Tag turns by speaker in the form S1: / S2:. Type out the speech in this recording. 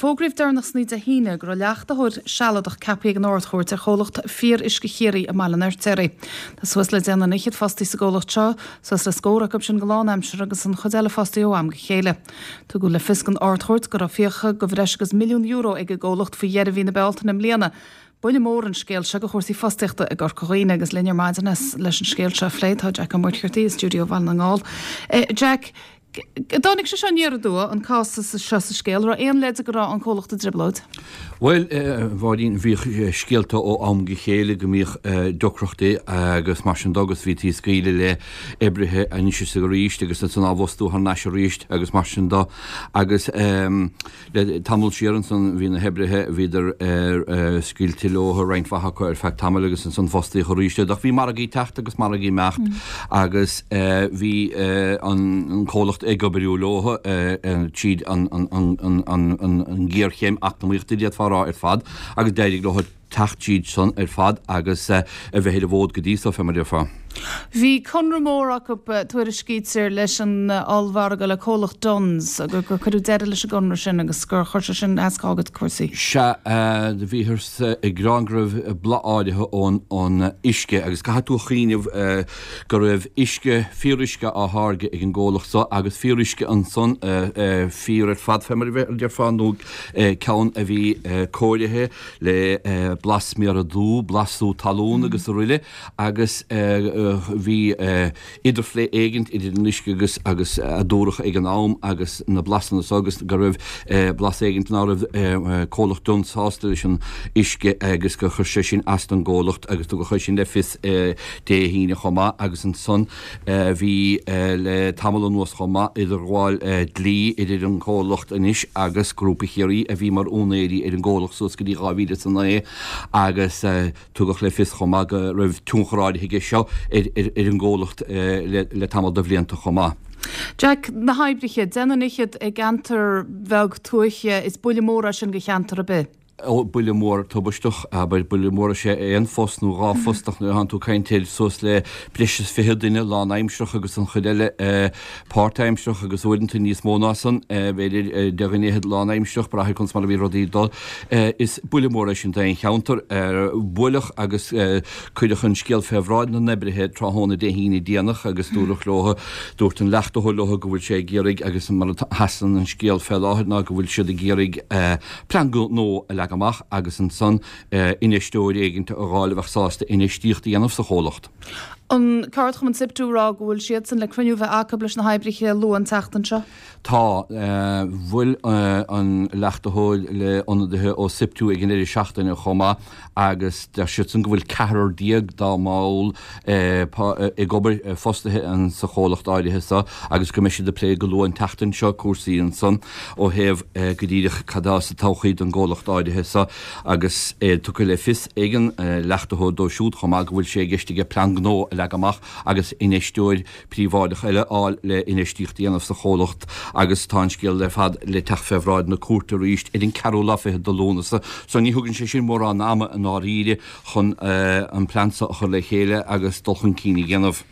S1: Fógraíodh deireanach san oíche Dé hAoine go raibh leachtaitheoir sealadach ceaptha ag an Ard-Chúirt ar chomhlacht Fíor-Uisce Chiarraí i mBaile an Fheirtéaraigh. Tá suas le deich nduine fhichead fostaí sa gcomhlacht seo, suas le scór acu sin go lánaimseartha agus an chuid eile fostaithe ó am go chéile. Tugadh le fios don Ard-Chúirt go raibh fiacha de bhreis agus €1 milliún ag an gcomhlacht faoi dheireadh mhí na Bealtaine i mbliana. Buille mór an scéal seo do chúrsaí fostaíochta i gCorca Dhuibhne agus linn ar maidin leis an scéal seo a phlé tá Jack Ó Muircheartaigh i stiúideo Bhaile na nGall. Jack, dtáinig sé seo aniar aduaidh, an cás seo sa scéal, raibh aon leid go raibh an comhlacht i dtrioblóid?
S2: Bhuel, a Mháirín, bhíodh scéalta ó am go chéile go mbíodh deacrachtaí agus mar sin de agus bhítí ag scaoileadh le oibrithe anois is arís agus ansan á bhfostú thar n-ais arís agus mar sin de agus Le tamall siar ansan bhí na hoibrithe, bhíodar scaoilte leo, roinnt mhaith acu ar feadh tamaill agus ansan fostaíodh arís iad. Ach bhí margaí ag teacht agus margaí ag imeacht agus bhí an comhlacht ag oibriú leo tríd an ghéarchéim eacnamaíochta d'fhéadfá a rá ar fad agus d'éirigh leo teacht tríd san ar fad agus a bheith ar an bhfód go dtí so, fé mar a déarfá.
S1: Bhí conradh mór acu, tuairiscítear, leis an ollmhargadh, le comhlacht Dunnes, gur cuireadh deireadh leis an gconradh sin agus gur chuir sé sin as go cúrsaí.
S2: Sea, do bhíothas ag gearán go raibh boladh áirithe ón uisce agus caithfidh tú a chuimhneamh go raibh uisce, fíoruisce á tháirgeadh ag an gcomhlacht so agus fíoruisce ansan, fíor ar fad fé mar a déarfá, nó ceann a bhí cóirithe le blas sméara dubh, blas sú talún agus aroile agus bhí idirphlé éigint idir an uisce agus agus a dúradh ag an am agus na blasanna so agus go raibh blas éigint ná raibh comhlacht Dunnes sásta leis an uisce agus gur chuir sé sin as don gcomhlacht agus tugadh é sin le fios Dé hAoine chomh maith agus ansan Bhí le tamall anuas chomh maith, idirghabháil dlí idir an comhlacht anois agus Grúpa Chiarraí a bhí mar úinéirí ar an gcomhlacht suas go dtí 2009 agus tugadh le fios chomh maith go raibh tionchar áirithe aige seo ar an gcomhlacht le tamall de bhlianta chomh maith.
S1: Jack, Na hoibrithe, deich nduine fhichead i gceantar bheag tuaithe, is buille mór é sin do cheantar ar bith.
S2: Ó, buille mór tubaisteach, abair, buille mór is ea aon phost nó dhá phost ach nuair a thánn tú ag caint ar suas le breis is 20 duine lánaimsearach agus an chuid eile páirtaimsearach agus uaireanta níos mó ná san, b'fhéidir, de dhuine fhichead lánaimsearach, brath ar conas mar a bhí rudaí ag dul. Is buille mór é sin d'aon cheantar. Buaileadh agus cuireadh an scéal fé bhráid na n-oibrithe tráthnóna Dé hAoine déanach agus dúradh leo, dúirt an leachtaitheoir leo go bhfuil sé ag iarraidh agus mar a sheasann an scéal fé láthair ná go bhfuil siad ag iarraidh, plean gnó a leagan amach agus ansan infheisteoir éigint a dh'fháil a bheadh sásta infheistíocht a dhéanamh sa chomhlacht.
S1: An ceardchumann SIPTU ag rá go bhfuil siadsan le cruinniú a bheith acu leis na hoibrithe luath an tseachtain seo.
S2: Tá. Bhuail an leachtaitheoir le ionadaithe ó SIPTU ag an deireadh seachtaine chomh maith agus deir siadsan go bhfuil ceathrar déag dá mball ag obair, fostaithe sa chomhlacht áirithe seo agus go mbeidh siad ag plé go luath an tseachtain seo cúrsaí ansan ó thaobh go díreach cad atá sa todhchaí don gcomhlacht áirithe seo agus é tugtha le fios ag an leachtaitheoir dó siúd chomh maith go bhfuil sé i gceist aige plean gnó a leagan amach agus infheisteoir príobháideach eile a fháil le infheistíocht a dhéanamh sa chomhlacht agus tá an scéal ar fad le teacht fé bhráid na cúirte arís ar an ceathrú lá fichead de Lúnasa so ní thugann sé sin mórán ama i ndáiríre chun an plean seo a chur le chéile agus dul chun cinn a dhéanamh.